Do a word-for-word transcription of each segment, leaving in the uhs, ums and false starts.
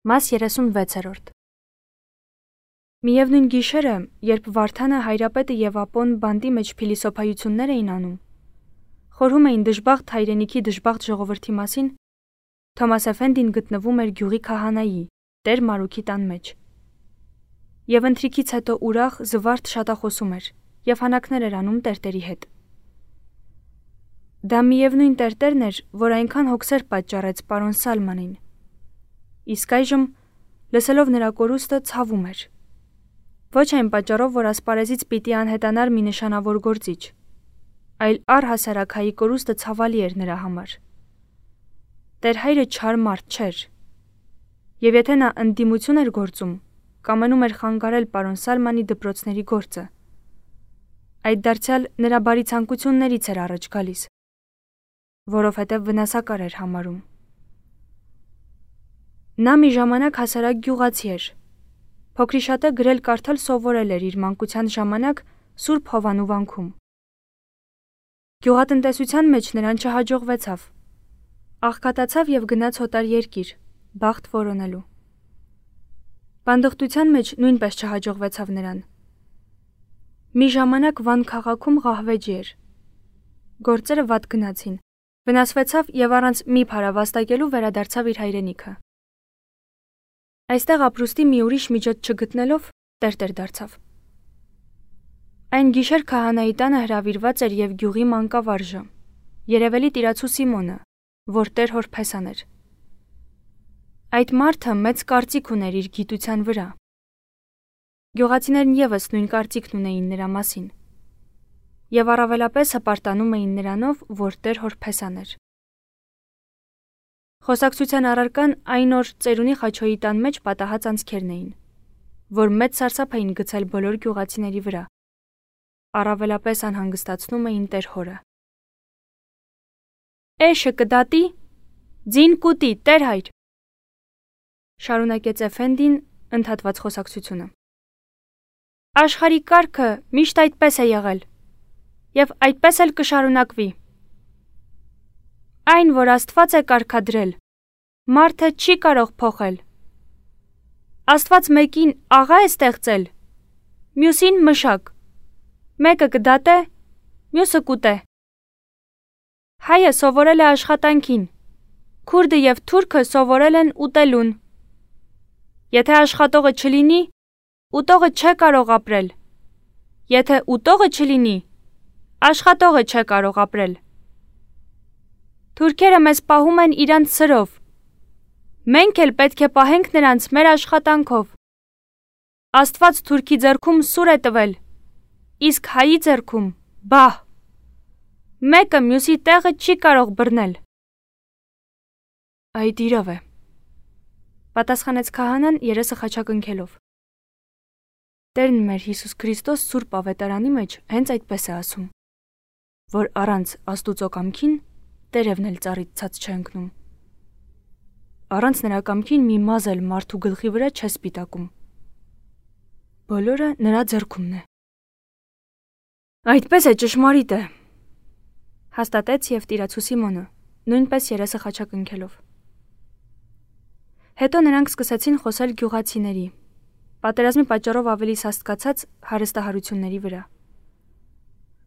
Մաս երեսունվեցերորդ Միևնույն գիշերը, երբ Վարդանը, Հայրապետը և Ապոն բանտի մեջ փիլիսոփայություններ էին անում, խորհում էին դժբախտ հայրենիքի դժբախտ ժողովրդի մասին, Թոմաս Էֆենդին գտնվում էր գյուղի քահանայի, Տեր Մարուքի տան մեջ։ Եվ ընթրիքից հետո ուրախ, զվարթ շատախոսում էր և հանակներ էր անում տերտերի հետ։ Դա միևնույն տերտերն էր, որ այնքան հոգսեր պատճառեց պարոն Սալմանին։ Իսկ այժմ, լսելով նրա կորուստը, ցավում էր։ Ոչ այն պատճառով, որ ասպարեզից պիտի անհետանար մի նշանավոր գործիչ, այլ առհասարակ հայի կորուստը ցավալի էր նրա համար։ Տեր հայրը չար մարդ չէր, և եթե նա ընդդիմություն էր գործում, կամենում էր խանգարել պարոն Սալմանի դպրոցների գործը։ Այդ դարձյալ նրա բարի ցանկություններից էր առաջ գալիս, որովհետև վնասակար էր համարում։ Նա մի ժամանակ հասարակ գյուղացի էր։ Փոքրիշատը գրել կարդալ սովորել էր իր մանկության ժամանակ Սուրբ Հովանու վանքում։ Գյուղատնտեսության մեջ նրան չհաջողվեցավ։ Աղքատացավ և գնաց հոտար երկիր, բախտ որոնելու։ Բանդխտության մեջ նույնպես չհաջողվեցավ նրան։ Մի ժամանակ Վան քաղաքում ղահվեջի էր։ Գործերը վատ գնացին, վնասվեցավ և առանց մի փարավաստակելու վերադարձավ իր հայրենիքը։ Այստեղ ապրուստի մի ուրիշ միջոց չգտնելով, տերտեր դարձավ։ Այն գիշեր քահանայի տանը հրավիրված էր և գյուղի մանկավարժը, երևելի տիրացու Սիմոնը, որ Տեր հոր փեսան էր։ Այդ մարդը մեծ կարծիք ուներ իր գիտության վրա։ Գյուղացիներն ևս նույն կարծիքն ունեին նրա մասին և առավելապես հպարտանում էին նրանով, որ Տեր հոր փեսան էր։ Խոսակցության առարկան այն օր ծերունի Խաչոյի տան մեջ պատահած անցքերն էին, որ մեծ սարսափ էին գցել բոլոր գյուղացիների վրա, առավելապես անհանգստացնում էին Տեր հորը։ «Էշը կդատի, ձին կուտի, Տեր հայր», շարունակեց Էֆենդին ընդհատված խոսակցությունը։ «Աշխարհի կարգը միշտ այդպես է եղել, և այդպես էլ կշարունակվի։ Այն, որ Աստված է կարգադրել, մարդը չի կարող փոխել։ Աստված մեկին աղա է ստեղծել, մյուսին մշակ, մեկը կդատե, մյուսը կուտե։ Հայը սովորել է աշխատանքին, քուրդը և թուրքը սովորել են ուտելուն։ Եթե աշխատողը չլինի, ուտողը չէ կարող ապրել։ Եթե ուտողը չլինի, աշխատողը չէ կարող ապրել։ Թուրքերը մեզ պահում են իրանց սրով, մենք էլ պետք է պահենք նրանց մեր աշխատանքով։ Աստված թուրքի ձեռքում սուր է տվել, իսկ հայի ձեռքում բահ։ Մեկը մյուսի տեղը չի կարող բռնել»։ Այդ իրավ է, պատասխանեց քահանան երեսը խաչակնքելով։ Տերն մեր Հիսուս Քրիստոս Սուրբ Ավետարանի մեջ հենց այդպես է ասում, որ առանց Աստուծո կամքին տերևն էլ ծառից ցած չէ ընկնում։ Առանց նրա կամքին մի մազ էլ մարդու գլխի վրա չէ սպիտակում։ Բոլորը նրա ձեռքումն է։ Այդպես է, ճշմարիտ է, հաստատեց և տիրացու Սիմոնը, նույնպես երեսը խաչակնքելով։ Հետո նրանք սկսեցին խոսել գյուղացիների, պատերազմի պատճառով ավելի սաստկացած հարստահարությունների վրա։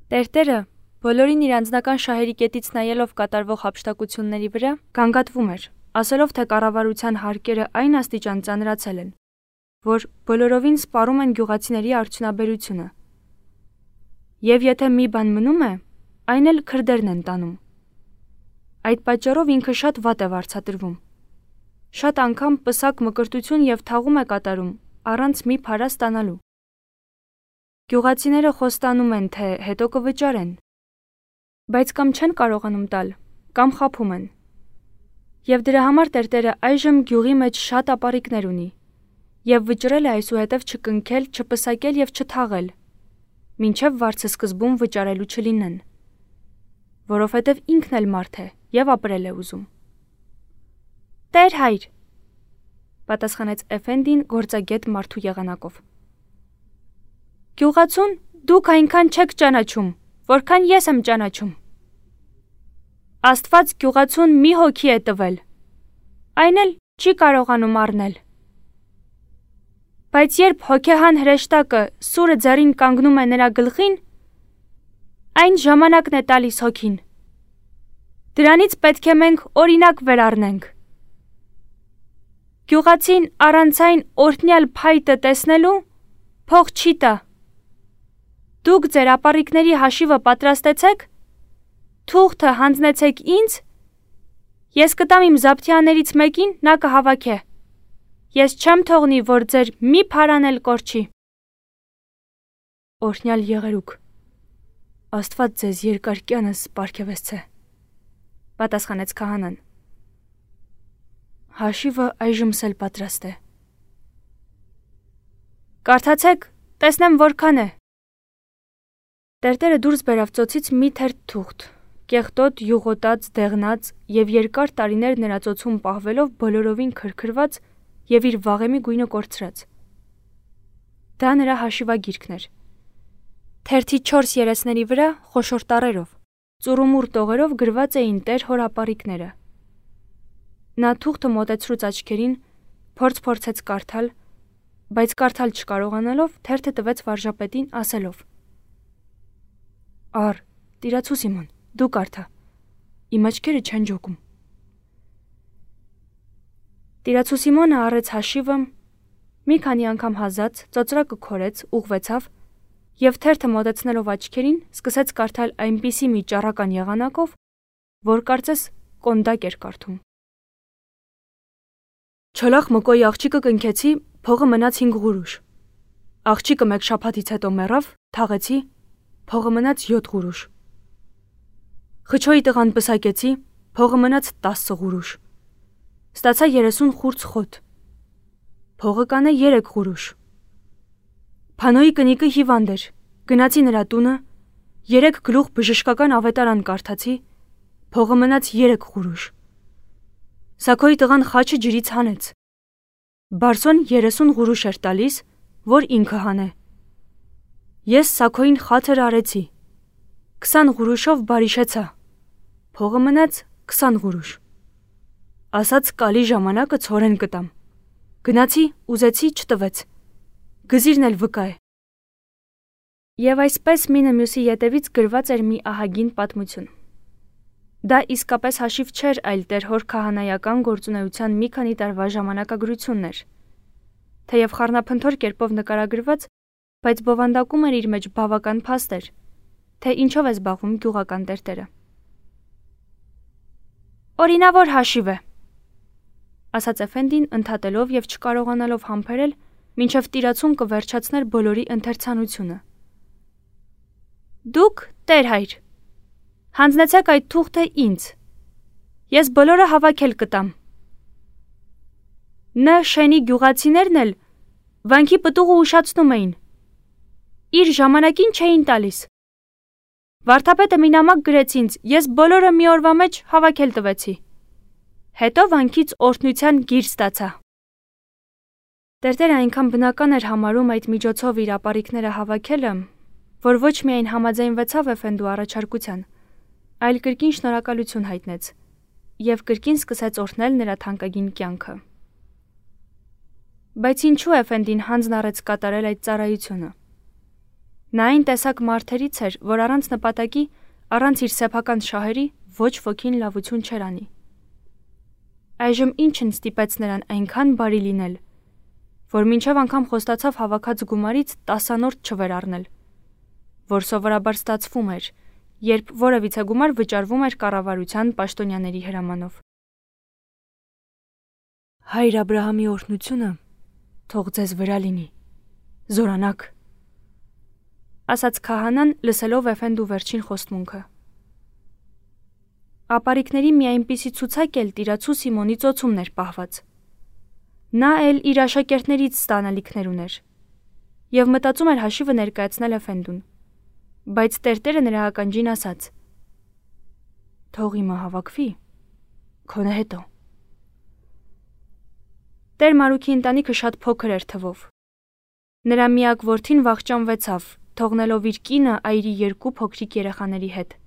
Տերտերը, բոլորին իր անձնական շահերի կետից նայելով կատարվող հափշտակությունների վրա, գանգատվում էր, ասելով, թե կառավարության հարկերը այն աստիճան ծանրացել են, որ բոլորովին սպառում են գյուղացիների արդյունաբերությունը։ Եվ եթե մի բան մնում է, այն էլ քրդերն են տանում։ Այդ պատճառով ինքը շատ վատ է վարձատրվում։ Շատ անգամ պսակ մկրտություն և թաղում է կատարում, առանց մի փարա ստանալու։ Գյուղացիները խոստանում են, թե հետո կվճարեն, բայց կամ չեն կարողանում տալ, կամ խաբում են։ Եվ դրա համար տերտերը այժմ գյուղի մեջ շատ ապառիկներ ունի, և վճռել է այսուհետև չկնքել, չպսակել և չթաղել, մինչև վարձսկզբում վճարելու չլինեն, որովհետև ինքն էլ մարդ է և ապրել է ուզում։ Տեր հայր, պատասխանեց Էֆենդին գործագետ մարդու եղանակով։ Գյուղացուն դուք այնքան չեք ճանաչում, որքան ես եմ ճանաչում։ Աստված գյուղացուն մի հոգի է տվել, այն էլ չի կարողանում առնել։ Բայց երբ հոգեհան հրեշտակը սուրը ձեռին կանգնում է նրա գլխին, այն ժամանակն է տալիս հոգին։ Դրանից պետք է մենք օրինակ վերառնենք։ Գյուղացին առանցայն օրհնյալ փայտը տեսնելու փող չի տա։ Դուք ձեր ապառիկների հաշիվը պատրաստեցեք, թուղթը հանձնեցեք ինձ, ես կտամ իմ զապթյաներից մեկին, նա կհավաքը։ Ես չեմ թողնի, որ ձեր մի փարան էլ կորչի։ Օրհնյալ եղերուք, Աստված ձեզ երկար կյանս պարգևեսցե, պատասխանեց քահանան։ Հաշիվը այժմս էլ պատրաստ է։ Կարդացեք, տեսնեմ որքան է։ Տերտերը դուրս բերավ ծոցից մի թերթ թուղթ, կեղտոտ, յուղոտած, դեղնած եւ երկար տարիներ նրա ծոցում պահվելով բոլորովին քրքրված եւ իր վաղեմի գույնը կորցրած։ Դա նրա հաշիվագիրքն էր։ Թերթի չորս երեսների վրա խոշոր տառերով, ծուռումուռ տողերով գրված էին տեր հոր ապառիկները։ Նա թուղթը մոտեցրուց աչքերին, փորձ-փորձեց կարդալ, բայց կարդալ չկարողանալով թերթը տվեց վարժապետին ասելով. Ար, տիրացու Սիմոն, դու կարդա, իմ աչքերը չեն ջոկում։ Տիրացու Սիմոնը առեց հաշիվը, մի քանի անգամ հազաց, ծոծրակը քորեց, ուղղվեցավ եւ թերթը մոտեցնելով աչքերին սկսեց կարդալ այնպիսի մի ճառական եղանակով, որ կարծես կոնդակ էր կարդում։ Չոլախ մկոյի աղջիկը կնքեցի, փողը մնաց հինգ ղուրուշ։ Աղջիկը մեկ շաբաթից հետո մեռավ, թաղեցի, փողը մնաց յոթ ղուրուշ։ Խչոյի տղան պսակեցի, փողը մնաց տասը ղուրուշ։ Ստացա երեսուն խուրց խոտ։ Փողը կանե երեք ղուրուշ։ Փանոյի կնիկը հիվանդ էր, գնացի նրա տունը, երեք գլուխ բժշկական ավետարան կարդացի, փողը մնաց երեք ղուրուշ։ Սակոյի տղան խաչը ջրից հանեց։ Բարսոն երեսուն ղուրուշ էր տալիս, որ ինքը հանե։ Ես Սակոյին խաթր արեցի, քսան ղուրուշով բարիշեցա, փողը մնաց քսան ղուրուշ։ Ասաց կալի ժամանակը ցորեն կտամ։ Գնացի, ուզեցի, չտվեց։ Գզիրն էլ վկա է։ Եվ այսպես մինը մյուսի ետևից գրված էր մի ահագին պատմություն։ Դա իսկապես հաշիվ չէր, այլ տեր հոր քահանայական գործունեության մի քանի տարվա ժամանակագրությունն էր։ Թեև խառնափնթոր կերպով նկարագրված, բայց բովանդակում էր իր մեջ բավական փաստեր, թե ինչով է զբաղվում գյուղական տերտերը։ Օրինավոր հաշիվ է, ասաց Էֆենդին ընդհատելով եւ չկարողանալով համբերել, մինչև տիրացուն կվերջացներ բոլորի ընթերցանությունը։ Դուք, տեր հայր, հանձնեցեք այդ թուղթը ինձ, ես բոլորը հավաքել կտամ։ Ն շենի գյուղացիներն էլ վանքի պտուղը ուշացնում էին, իր ժամանակին չէին տալիս։ Վարդապետը մի նամակ գրեց ինձ, ես բոլորը մի օրվա մեջ հավաքել տվեցի։ Հետո վանքից օրհնության գիր ստացա։ Տերտերը այնքան բնական էր համարում այդ միջոցով իր ապառիկները հավաքելը, որ ոչ միայն համաձայնվեցավ Էֆենդու առաջարկության, այլ կրկին շնորհակալություն հայտնեց եւ կրկին սկսեց օրհնել նրա թանկագին կյանքը։ Բայց ինչու Էֆենդին հանձն առեց կատարել այդ ծառայությունը։ Նա այն տեսակ մարդերից էր, որ առանց նպատակի, առանց իր սեփական շահերի ոչ ոքին լավություն չէր անի։ Այժմ ինչն ստիպեց նրան այնքան բարի լինել, որ մինչև անգամ խոստացավ հավաքած գումարից տասանորդ չվերառնել, որ սովորաբար ստացվում էր, երբ որևիցե գումար վճարվում էր կառավարության պաշտոնյաների հրամանով։ Հայր Աբրահամի օրհնությունը թող ձեզ վրա լինի, զորանաք, ասաց քահանան, լսելով Էֆենդու վերջին խոստմունքը։ Ապառիկների մի այնպիսի ցուցակ էլ տիրացու Սիմոնի ծոցումն էր պահված։ Նա էլ իր աշակերտներից ստանալիքներ ուներ եւ մտածում էր հաշիվը ներկայացնել Էֆենդուն, բայց տերտերը նրա ականջին ասաց. Թող իմը հավաքվի, քոնը հետո։ Տեր Մարուքի ընտանիքը շատ փոքր էր թվով։ Նրա միակ որդին վախճանվեցավ, թողնելով իր կինը այրի երկու փոքրիկ երեխաների հետ։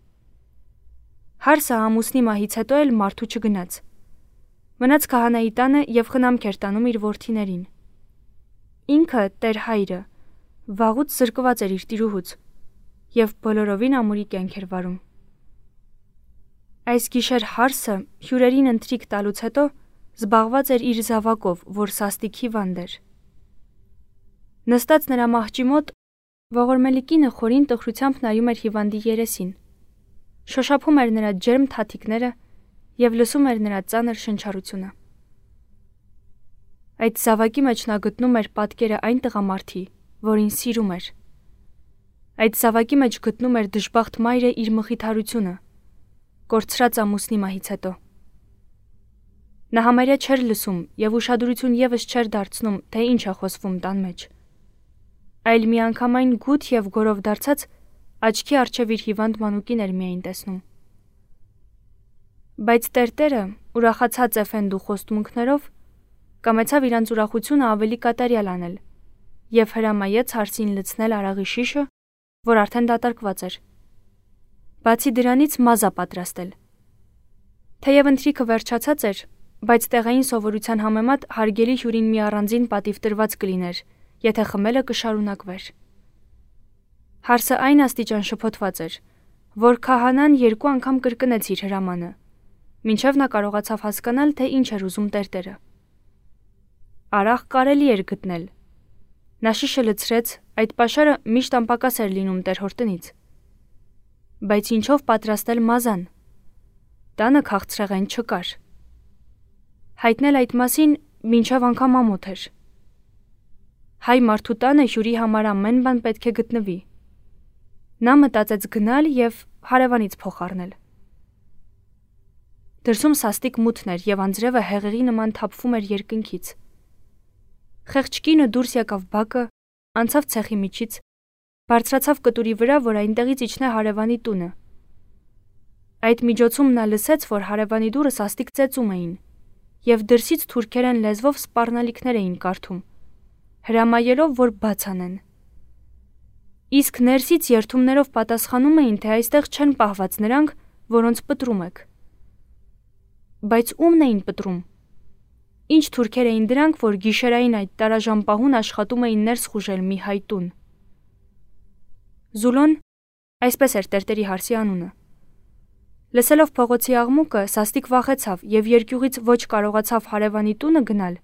Հարսը ամուսնի մահից հետո էլ մարդու չգնաց։ Մնաց քահանայի տանը եւ խնամք էր տանում իր որդիներին։ ինքը Տեր հայրը վաղուց զրկված էր իր տիրուհուց եւ բոլորովին ամուրի կյանք էր վարում։ Այս գիշեր հարսը հյուրերին ընթրիք տալուց հետո զբաղված էր իր զավակով, որ սաստիկ հիվանդ էր։ Նստած նրա մահճի մոտ ողորմելի կինը խորին տխրությամբ նայում էր հիվանդի երեսին, շոշափում էր նրա ջերմ թաթիկները եւ լսում էր նրա ծանր շնչառությունը։ Այդ զավակի մեջ նա գտնում էր պատկերը այն տղամարդի, որին սիրում էր։ Այդ զավակի մեջ գտնում էր դժբախտ մայրը իր մխիթարությունը, կորցրած ամուսնի մահից հետո։ Նա համարյա չէր լսում եւ ուշադրություն եւս չէր դարձնում, թե ինչ է խոսվում տան մեջ։ Այլ միանգամայն գութ եւ գորով դարձած աչքի առջև իր հիվանդ մանուկին էր միայն տեսնում։ Բայց Տերտերը, ուրախացած էֆենդու խոստմունքներով, կամեցավ իրանց ուրախությունը ավելի կատարյալ անել եւ հրամայեց հարսին լցնել արաղի շիշը, որ արդեն դատարկված էր։ Բացի դրանից մազա պատրաստել։ Թեև ընթրիքը վերջացած էր, բայց տեղային սովորության համեմատ հարգելի հյուրին մի առանձին պատիվ տրված կլիներ, եթե խմելը կշարունակվեր։ Հարսը այն աստիճան շփոթված էր, որ քահանան երկու անգամ կրկնեց իր հրամանը, մինչև նա կարողացավ հասկանալ, թե ինչ էր ուզում Տերտերը։ Արաղ կարելի էր գտնել։ Նա շիշը լցրեց, այդ պաշարը միշտ անպակաս էր լինում Տեր-հոր տնից։ Բայց ինչով պատրաստել մազան։ Տանը քաղցրեղեն չկար։ Հայտնել այդ մասին մինչև անգամ ամոթ էր։ Հայ մարդու տանը հյուրի համար ամեն բան պետք է գտնվի։ Նա մտածեց գնալ եւ հարևանից փող առնել։ Դրսում սաստիկ մութն էր եւ անձրևը հեղեղի նման թափվում էր երկնքից։ Խեղճ կինը դուրս եկավ բակը, անցավ ցեխի միջից, բարձրացավ կտուրի վրա, որ այնտեղից իջնե հարևանի տունը։ Այդ միջոցում նա լսեց, որ հարևանի դուռը սաստիկ ծեծում էին, եւ դրսից թուրքերեն լեզվով սպառնալիքներ էին կարդում, հրամայելով, որ բաց անեն։ Իսկ ներսից երթումներով պատասխանում էին, թե այստեղ չեն պահված նրանք, որոնց պտրում եք։ Բայց ումն էին պտրում։ Ինչ թուրքեր էին դրանք, որ գիշերային այդ տարաժամպահուն աշխատում էին ներս խուժել մի հայտուն։ Զուլոն, այսպես էր Տերտերի հարսի անունը։ Լսելով փողոցի աղմուկը, սաստիկ վախեցավ եւ երկյուղից ոչ կարողացավ հարևանի տունը գնալ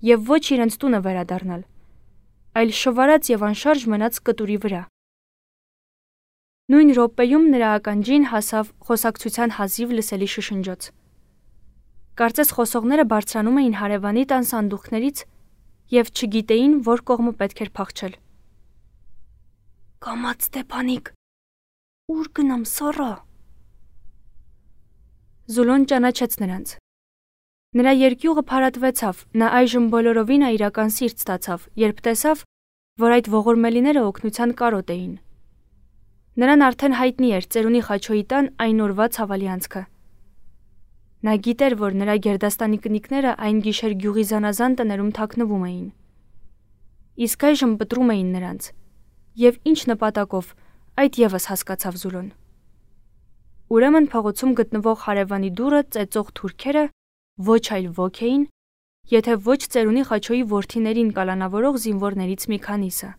եւ ոչ իրենց տունը վերադառնալ, այլ շվարած եւ անշարժ մնաց կտուրի վրա։ Նույն րոպեում նրա ականջին հասավ խոսակցության հազիվ լսելի շշնջոց։ Կարծես խոսողները բարձրանում էին հարևանի տան սանդուղքներից եւ չգիտեին, որ կողմը պետք էր փախչել։ Կամաց Ստեփանիկ, ուր գնամ սառա։ Զուլոն ճանաչեց նրանց։ Նրա երկյուղը փարատվեցավ, նա այժմ բոլորովին այրական սիրտ ստացավ, երբ տեսավ, որ այդ ողորմելիները օգնության կարոտ էին։ Նրան արդեն հայտնի էր ծերունի Խաչոյի տան այն օրվա ցավալի անցքը։ Նա գիտեր, որ նրա գերդաստանի կնիկները այն գիշեր գյուղի զանազան տներում թաքնվում էին։ Իսկ այժմ պտրում էին նրանց, եւ ինչ նպատակով, այդ եւս հասկացավ Զուլոն։ Ուրեմն փողոցում գտնվող հարևանի դուռը ծեծող թուրքերը ոչ այլ ոք էին, եթե ոչ ծերունի Խաչոյի որդիներին կալանավորող զինվորներից մի քանիսը։